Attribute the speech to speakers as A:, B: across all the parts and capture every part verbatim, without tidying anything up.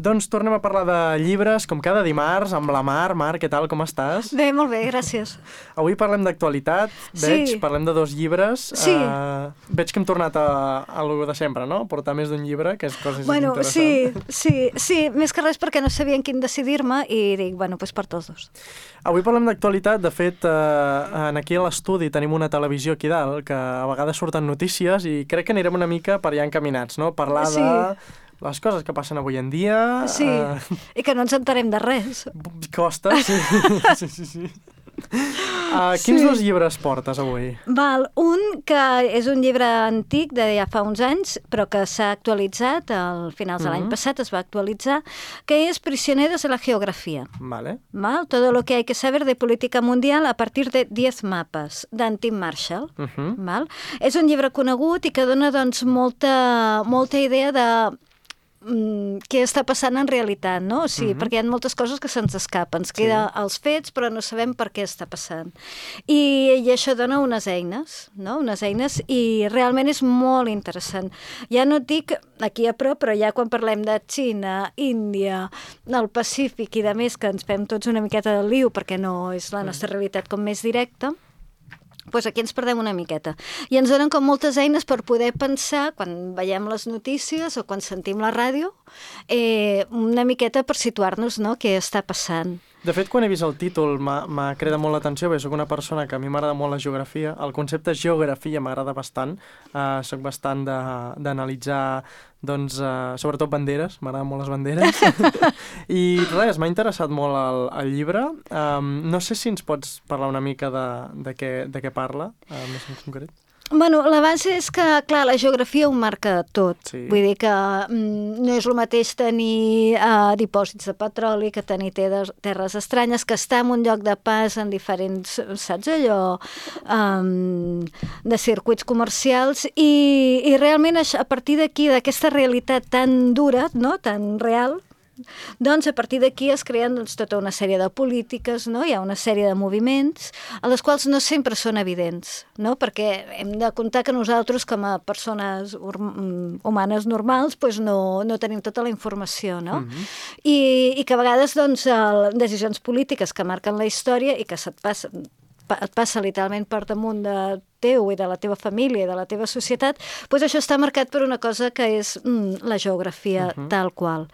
A: Doncs tornem a parlar de llibres, com cada dimarts, amb la Mar. Mar, què tal, com estàs?
B: Bé, molt bé, gràcies.
A: Avui parlem d'actualitat, veig,
B: Sí.
A: parlem de dos llibres.
B: Sí.
A: Uh, veig que hem tornat a, a lo de sempre, no? Portar més d'un llibre, que és cosa
B: Bueno, sí,
A: interessant.
B: sí, sí, més que res perquè no sabia en quin decidir-me i dic, bueno, doncs per tots dos.
A: Avui parlem d'actualitat, de fet, uh, aquí a l'estudi tenim una televisió aquí dalt, que a vegades surten notícies i crec que anirem una mica per allà encaminats, no? Parlar
B: Sí.
A: de les coses que passen avui en dia.
B: Sí,
A: Uh,
B: i que no ens entarem de res.
A: costa, sí, sí, sí. sí. Uh, quins
B: Sí.
A: dos llibres portes avui?
B: Val, un que és un llibre antic de ja fa uns anys, però que s'ha actualitzat, al finals de l'any
A: Mhm.
B: passat es va actualitzar, que és Prisioneros de la Geografía.
A: Vale.
B: Val? Todo lo que hay que saber de política mundial a partir de diez mapas, d'en Tim Marshall.
A: Uh -huh.
B: Val? És un llibre conegut i que dona doncs, molta, molta idea de mm, què està passant en realitat, no? O sigui,
A: Mhm.
B: perquè hi ha moltes coses que se'ns escapen. Ens queda els fets, però no sabem per què està passant. I, i això dona unes eines, no? Unes eines, i realment és molt interessant. Ja no et dic aquí a prop, però ja quan parlem de Xina, Índia, el Pacífic i de més, que ens fem tots una miqueta del liu, perquè no és la nostra realitat com més directa, doncs aquí ens perdem una miqueta. I ens donen com moltes eines per poder pensar, quan veiem les notícies o quan sentim la ràdio, eh, una miqueta per situar-nos, no?, què està passant.
A: De fet, quan he vist el títol m'ha m'ha cridat molt l'atenció, perquè soc una persona que a mi m'agrada molt la geografia. El concepte geografia m'agrada bastant. Uh, soc bastant de- d'analitzar, doncs, uh, sobretot banderes. M'agraden molt les banderes. I res, m'ha interessat molt el, el llibre. Um, no sé si ens pots parlar una mica de, de, què, de què parla, uh, més en concret.
B: Bueno, la base és que, clar, la geografia ho marca tot.
A: Sí.
B: Vull dir que mm, no és el mateix tenir uh, dipòsits de petroli que tenir terres, terres estranyes, que estar en un lloc de pas en diferents, saps allò, um, de circuits comercials, i, i realment a partir d'aquí, d'aquesta realitat tan dura, no?, tan real, doncs a partir d'aquí es creen doncs, tota una sèrie de polítiques, no? Hi ha una sèrie de moviments, a les quals no sempre són evidents, no? Perquè hem de comptar que nosaltres, com a persones humanes normals, doncs no, no tenim tota la informació, no?
A: Mhm.
B: I, i que a vegades doncs, el, decisions polítiques que marquen la història i que se't passa, et passa literalment per damunt de teu i de la teva família i de la teva societat, doncs això està marcat per una cosa que és mm, la geografia uh -huh. tal qual.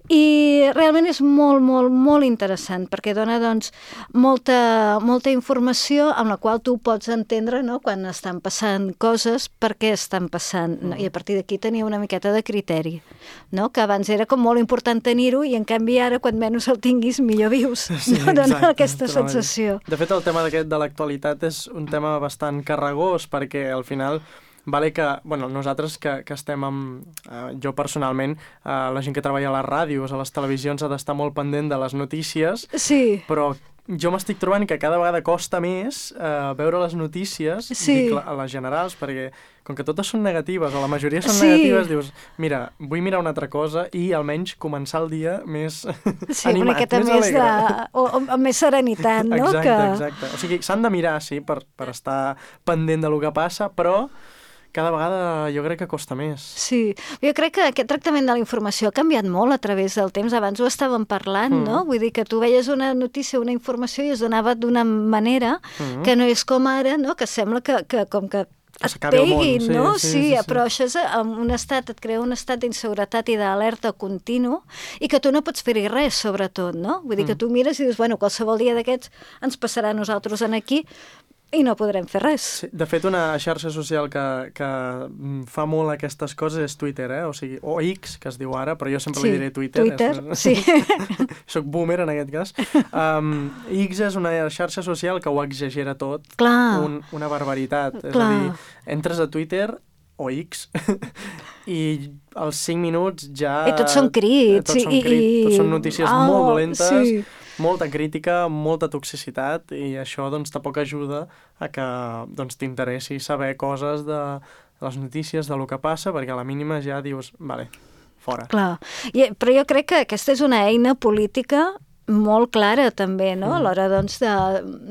B: I realment és molt, molt, molt interessant perquè dona doncs, molta, molta informació amb la qual tu pots entendre, no?, quan estan passant coses, per què estan passant, no? I a partir d'aquí tenia una miqueta de criteri, no?, que abans era com molt important tenir-ho i en canvi ara, quan menys el tinguis, millor vius.
A: Sí,
B: no? Dona
A: exacte,
B: aquesta
A: totalment.
B: sensació.
A: De fet, el tema d'aquest de l'actualitat és un tema bastant carregat perquè al final vale que, bueno, nosaltres que, que estem amb, eh, jo personalment, eh, la gent que treballa a les ràdios, a les televisions ha d'estar molt pendent de les notícies,
B: Sí.
A: però jo m'estic trobant que cada vegada costa més eh, veure les notícies,
B: Sí.
A: dic, a les generals, perquè com que totes són negatives, o la majoria són
B: Sí.
A: negatives, dius, mira, vull mirar una altra cosa i almenys començar el dia més
B: Sí,
A: animat,
B: una miqueta
A: més
B: més, de,
A: alegre.
B: o, o, amb més serenitat, no?
A: Exacte,
B: que...
A: exacte. O sigui, s'han de mirar, sí, per, per estar pendent de lo que passa, però cada vegada jo crec que costa més.
B: Sí, jo crec que aquest tractament de la informació ha canviat molt a través del temps. Abans ho estàvem parlant,
A: Mm.
B: no? Vull dir que tu veies una notícia, una informació i es donava d'una manera
A: Mm.
B: que no és com ara, no? Que sembla que, que com que
A: Que
B: et
A: s'acabi el món,
B: peguin,
A: sí,
B: no?
A: sí,
B: Sí,
A: sí, sí.
B: però això és en un estat, et crea un estat d'inseguretat i d'alerta continu i que tu no pots fer-hi res, sobretot, no? Vull dir que
A: Mm.
B: tu mires i dius, bueno, qualsevol dia d'aquests ens passarà a nosaltres en aquí i no podrem fer res.
A: Sí, de fet, una xarxa social que, que mm, fa molt aquestes coses és Twitter, eh? O sigui, o X, que es diu ara, però jo sempre
B: Sí,
A: li diré Twitter.
B: Twitter,
A: és...
B: sí.
A: Soc boomer, en aquest cas. Um, X és una xarxa social que ho exagera tot.
B: Clar.
A: Un, una barbaritat. És
B: Clar.
A: a dir, entres a Twitter o X i als cinc minuts ja...
B: I tots són crits.
A: Tots són
B: i,
A: crits,
B: i...
A: tots són notícies
B: Ah,
A: molt dolentes,
B: sí.
A: molta crítica, molta toxicitat, i això doncs tampoc ajuda a que doncs, t'interessi saber coses de les notícies, de lo que passa, perquè a la mínima ja dius, vale, fora.
B: Clar. I, però jo crec que aquesta és una eina política molt clara també, no? A l'hora doncs, de,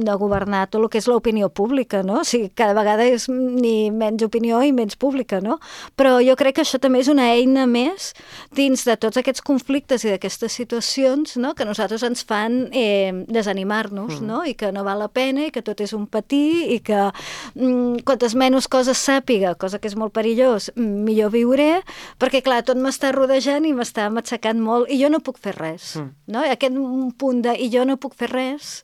B: de governar tot el que és l'opinió pública, no? O sigui, cada vegada és ni menys opinió i menys pública, no? Però jo crec que això també és una eina més dins de tots aquests conflictes i d'aquestes situacions, no? Que nosaltres ens fan eh, desanimar-nos, mm. no? I que no val la pena i que tot és un patir i que mm, quantes menys coses sàpiga, cosa que és molt perillós, millor viuré, perquè clar, tot m'està rodejant i m'està matxacant molt i jo no puc fer res, mm. no? I aquest un punt de i jo no puc fer res,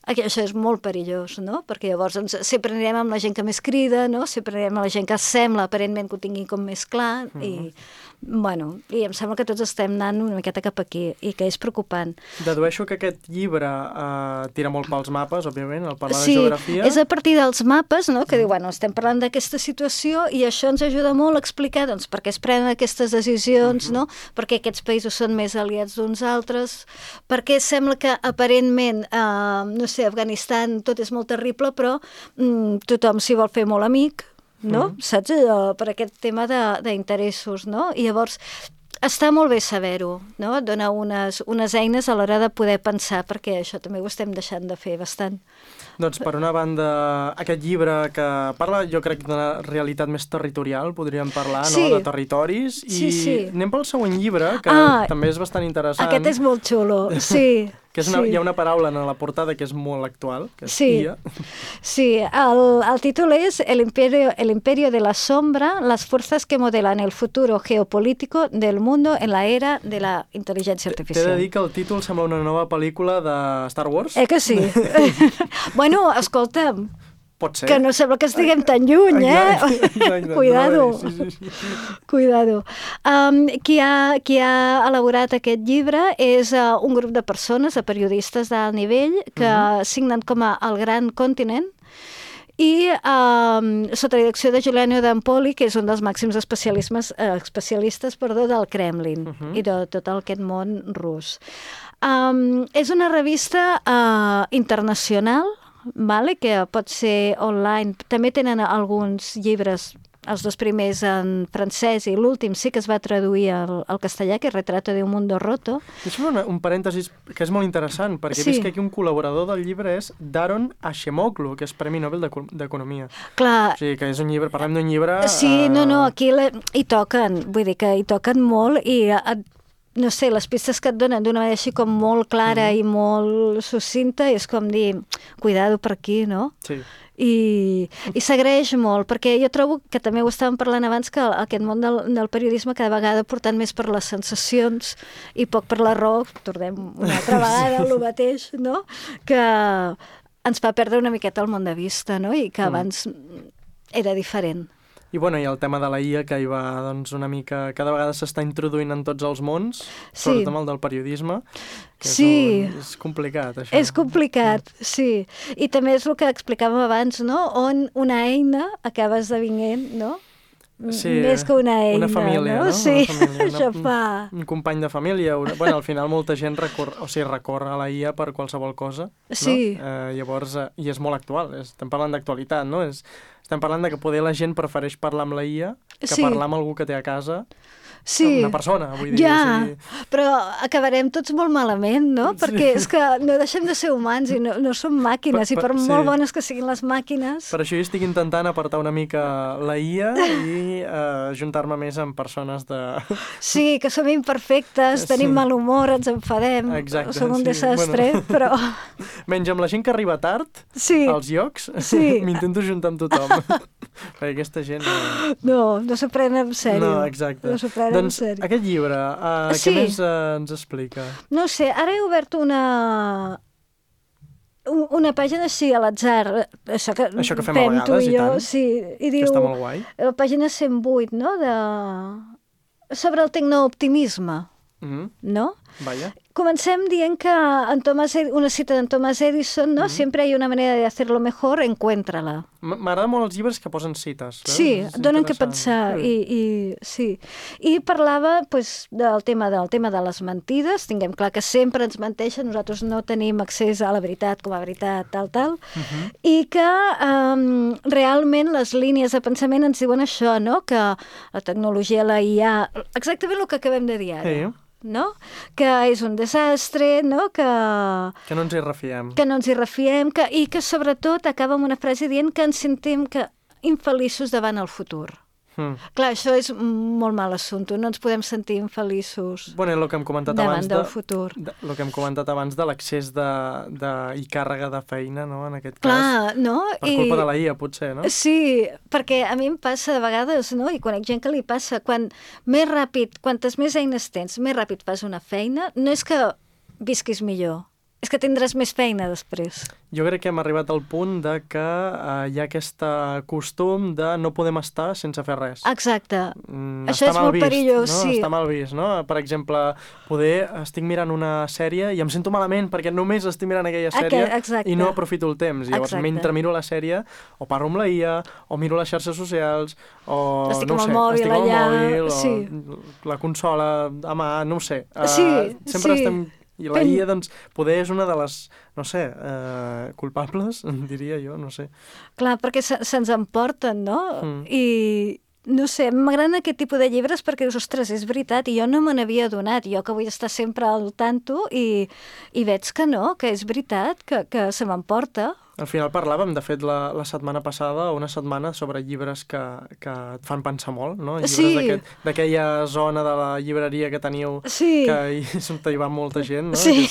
B: això és molt perillós, no? Perquè llavors doncs, sempre anirem amb la gent que més crida, no? Sempre anirem amb la gent que sembla aparentment que ho tingui com més clar mm-hmm. i, bueno, i em sembla que tots estem anant una miqueta cap aquí i que és preocupant.
A: Dedueixo que aquest llibre eh, tira molt pels mapes, òbviament, al parlar
B: sí,
A: de geografia.
B: Sí, és a partir dels mapes, no? Que mm. diu, bueno, estem parlant d'aquesta situació i això ens ajuda molt a explicar doncs, per què es prenen aquestes decisions, mm-hmm. no? Per què aquests països són més aliats d'uns altres, per què sembla que aparentment, eh, no sé, Afganistan tot és molt terrible, però mm, tothom s'hi vol fer molt amic, no? Mm. Saps allò? Per aquest tema d'interessos, no? I llavors està molt bé saber-ho, no? Et dona unes, unes eines a l'hora de poder pensar, perquè això també ho estem deixant de fer bastant.
A: Doncs, per una banda, aquest llibre que parla, jo crec, d'una realitat més territorial, podríem parlar,
B: sí.
A: no?, de territoris, i sí, sí. anem pel següent llibre, que
B: ah,
A: també és bastant interessant.
B: Aquest és molt xulo, sí.
A: que és una,
B: sí.
A: Hi ha una paraula en la portada que és molt actual, que és
B: sí.
A: I A.
B: Sí, el, el títol és El imperio, el imperio de la sombra, las fuerzas que modelan el futuro geopolítico del mundo en la era de la intel·ligència artificial.
A: T'he de dir que el títol sembla una nova pel·lícula de Star Wars.
B: Eh que sí? Bueno, escolta'm,
A: pot ser.
B: Que no sembla que estiguem tan lluny, eh?
A: Exacte, exacte.
B: Cuidado.
A: No, sí, sí, sí.
B: Cuidado. Um, qui, ha, qui ha elaborat aquest llibre és uh, un grup de persones, de periodistes d'alt nivell, que uh-huh. signen com a El Gran Continent, i um, sota la direcció de Giuliano d'Ampoli, que és un dels màxims especialistes, eh, especialistes perdó, del Kremlin uh-huh. i de tot aquest món rus. Um, és una revista uh, internacional, vale? Que pot ser online. També tenen alguns llibres, els dos primers en francès i l'últim sí que es va traduir al, al castellà, que és Retrato de un mundo roto.
A: Deixa'm un, un parèntesis que és molt interessant, perquè sí. He vist que aquí un col·laborador del llibre és Daron Acemoglu, que és Premi Nobel d'Economia.
B: Clar.
A: O sigui, que és un llibre, parlem d'un llibre...
B: Sí,
A: uh...
B: no, no, aquí la, hi toquen, vull dir que hi toquen molt i... Uh, no sé, les pistes que et donen d'una manera així com molt clara mm. i molt sucinta és com dir, cuidado per aquí, no?
A: Sí.
B: I, i s'agraeix molt, perquè jo trobo que també ho estàvem parlant abans, que aquest món del, del periodisme cada vegada portant més per les sensacions i poc per la raó, tornem una altra vegada al mateix, no? Que ens fa perdre una miqueta el món de vista, no? I que abans mm. era diferent.
A: I, bueno, i el tema de la I A, que hi va doncs, una mica... Cada vegada s'està introduint en tots els mons, sí. Sobretot amb el del periodisme, que
B: sí.
A: és, un, és complicat, això.
B: És complicat, mm. sí. I també és el que explicàvem abans, no? On una eina acaba esdevenint, no?
A: Sí,
B: més que una eina,
A: una família, no?
B: no? Sí,
A: una família,
B: això
A: una,
B: fa...
A: Un, un company de família. Una... Bueno, al final molta gent recor... o sigui, recorre a la I A per qualsevol cosa,
B: sí.
A: no? Eh, llavors, eh, i és molt actual, estem parlant d'actualitat, no? És... Estem parlant de que poder la gent prefereix parlar amb la I A que
B: sí.
A: parlar amb algú que té a casa.
B: Sí.
A: Una persona, vull dir.
B: Ja,
A: o sigui...
B: però acabarem tots molt malament, no? Sí. Perquè és que no deixem de ser humans i no, no som màquines, per, per, i per sí. molt bones que siguin les màquines...
A: Per això jo estic intentant apartar una mica la I A i uh, juntar-me més amb persones de...
B: Sí, que som imperfectes,
A: sí.
B: tenim mal humor, ens enfadem,
A: exacte,
B: som un
A: sí.
B: desastre,
A: bueno.
B: però...
A: Menys amb la gent que arriba tard
B: sí.
A: als llocs,
B: sí.
A: m'intento juntar amb tothom. Perquè aquesta gent... No,
B: no, no s'ho pren en sèrio.
A: No, exacte.
B: No s'ho pren
A: doncs,
B: en sèrio.
A: Aquest llibre, uh,
B: sí.
A: què més uh, ens explica?
B: No sé, ara he obert una... una pàgina així a l'atzar, això que,
A: això que fem a vegades,
B: i,
A: i
B: jo,
A: tant,
B: sí, i diu,
A: que està molt guai.
B: La pàgina cent vuit, no?, de... sobre el tecnooptimisme,
A: mm-hmm.
B: no?
A: Vaya.
B: Comencem dient que en Thomas Ed... una cita d'en Thomas Edison, no? Mm-hmm. Siempre hay una manera de hacerlo mejor, encuéntrala.
A: M'agraden molt els llibres que posen cites. Eh?
B: Sí, donen que pensar.
A: Sí.
B: I, i, sí. I parlava pues, del, tema, del tema de les mentides. Tinguem clar que sempre ens menteixen, nosaltres no tenim accés a la veritat com a veritat, tal, tal. Uh-huh. I que um, realment les línies de pensament ens diuen això, no? Que la tecnologia, la I A... Exactament el que acabem de dir ara.
A: Sí.
B: no? Que és un desastre, no? Que,
A: que no ens hi refiem.
B: Que no ens hi refiem que, i que sobretot acaba amb una frase dient que ens sentim que infeliços davant el futur. Mm. Clar, això és molt mal assumpte, no ens podem sentir infeliços
A: bueno, el que hem comentat
B: davant
A: abans
B: del
A: de,
B: futur.
A: De, el que hem comentat abans de l'accés de, de, i càrrega de feina, no?, en aquest
B: Clar,
A: cas.
B: No?
A: Per culpa I, de la I A, potser, no?
B: Sí, perquè a mi em passa de vegades, no?, i conec gent que li passa, quan més ràpid, quantes més eines tens, més ràpid fas una feina, no és que visquis millor, és que tindràs més feina després.
A: Jo crec que hem arribat al punt de que uh, hi ha aquest costum de no podem estar sense fer res.
B: Exacte.
A: Mm,
B: Això és molt
A: vist,
B: perillós,
A: no?
B: sí.
A: Està mal vist, no? Per exemple, poder estic mirant una sèrie i em sento malament perquè només estic mirant aquella sèrie
B: Exacte.
A: i no aprofito el temps. I llavors,
B: Exacte.
A: mentre miro la sèrie, o parlo amb la I A, o miro les xarxes socials, o
B: estic
A: no
B: amb
A: ho sé,
B: el mòbil
A: estic amb
B: allà,
A: el mòbil,
B: sí.
A: o la consola a mà, no ho sé. Uh,
B: sí,
A: sempre
B: sí.
A: estem... I la I A, doncs, poder és una de les, no sé, eh, culpables, diria jo, no sé.
B: Clar, perquè se, se'ns emporten, no?
A: Mm.
B: I, no sé, m'agraden aquest tipus de llibres perquè dius, ostres, és veritat, i jo no me n'havia adonat, jo que vull estar sempre al tanto, i, i veig que no, que és veritat, que, que se m'emporta.
A: Al final parlàvem, de fet, la, la setmana passada, una setmana sobre llibres que, que et fan pensar molt, no? Llibres
B: sí.
A: d'aquella zona de la llibreria que teniu,
B: sí.
A: que hi, hi va molta gent, no?
B: Sí.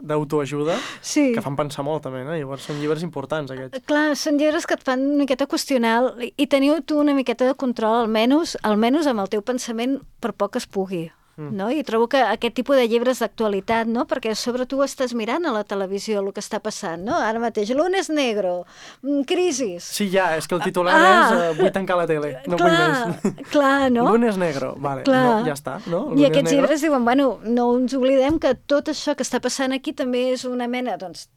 A: D'autoajuda,
B: sí.
A: que fan pensar molt també, no? Llavors són llibres importants, aquests.
B: Clar, són llibres que et fan una miqueta qüestionar i teniu tu una miqueta de control, almenys, almenys amb el teu pensament, per poc que es pugui. Mm. No? I trobo que aquest tipus de llibres d'actualitat, no? Perquè sobre tu estàs mirant a la televisió el que està passant, no? Ara mateix, lunes negro, crisis...
A: Sí, ja, és que el titular ah, és uh, vull tancar la tele, no
B: clar,
A: vull més.
B: Clar, no?
A: Lunes negro, vale, no, ja està, no?
B: I aquests negro. Llibres diuen, bueno, no ens oblidem que tot això que està passant aquí també és una mena, doncs,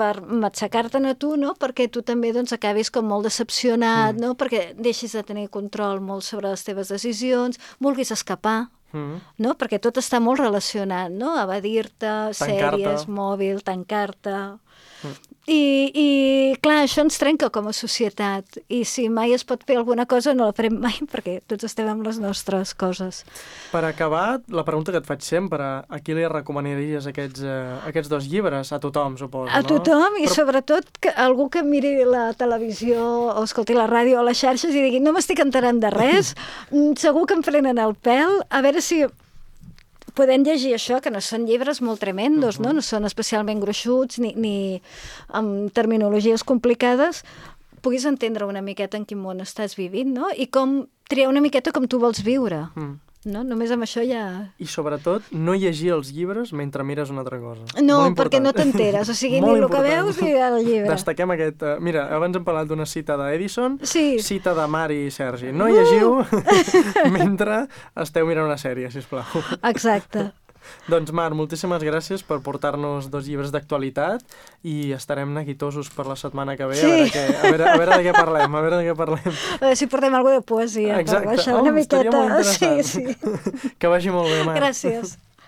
B: per matxacar-te'n a tu, no? Perquè tu també doncs, acabis com molt decepcionat, mm. no? Perquè deixis de tenir control molt sobre les teves decisions, vulguis escapar, mm. no? Perquè tot està molt relacionat, no? Evadir-te, sèries, mòbil, tancar-te... Mm. I, I, clar, això ens trenca com a societat. I si mai es pot fer alguna cosa, no la farem mai, perquè tots estem amb les nostres coses.
A: Per acabar, la pregunta que et faig sempre, a qui li recomanaries aquests, eh, aquests dos llibres? A tothom, suposo,
B: a
A: no?
B: A tothom, i
A: Però...
B: sobretot que algú que miri la televisió o escolti la ràdio o les xarxes i digui no m'estic enterant de res, segur que em frenen el pèl, a veure si... podem llegir això, que no són llibres molt tremendos, uh -huh. no? No són especialment gruixuts ni, ni amb terminologies complicades, puguis entendre una miqueta en quin món estàs vivint, no? I com triar una miqueta com tu vols viure. Mm. No? Només amb això ja...
A: I sobretot, no llegir els llibres mentre mires una altra cosa.
B: No, perquè no t'enteres, o sigui, ni el que veus ni el llibre.
A: Destaquem aquest... Uh, mira, abans hem parlat d'una cita d'Edison,
B: sí.
A: cita de Mari i Sergi. No llegiu uh! mentre esteu mirant una sèrie, sisplau.
B: Exacte.
A: Doncs, Mar, moltíssimes gràcies per portar-nos dos llibres d'actualitat i estarem neguitosos per la setmana que ve,
B: sí.
A: a, veure què, a, veure, a veure de què parlem, a veure de què parlem.
B: A veure si portem alguna de poesia.
A: Exacte.
B: Per baixar
A: oh,
B: una miqueta.
A: Estaria molt interessant.
B: Sí, sí.
A: Que vagi molt bé, Mar.
B: Gràcies.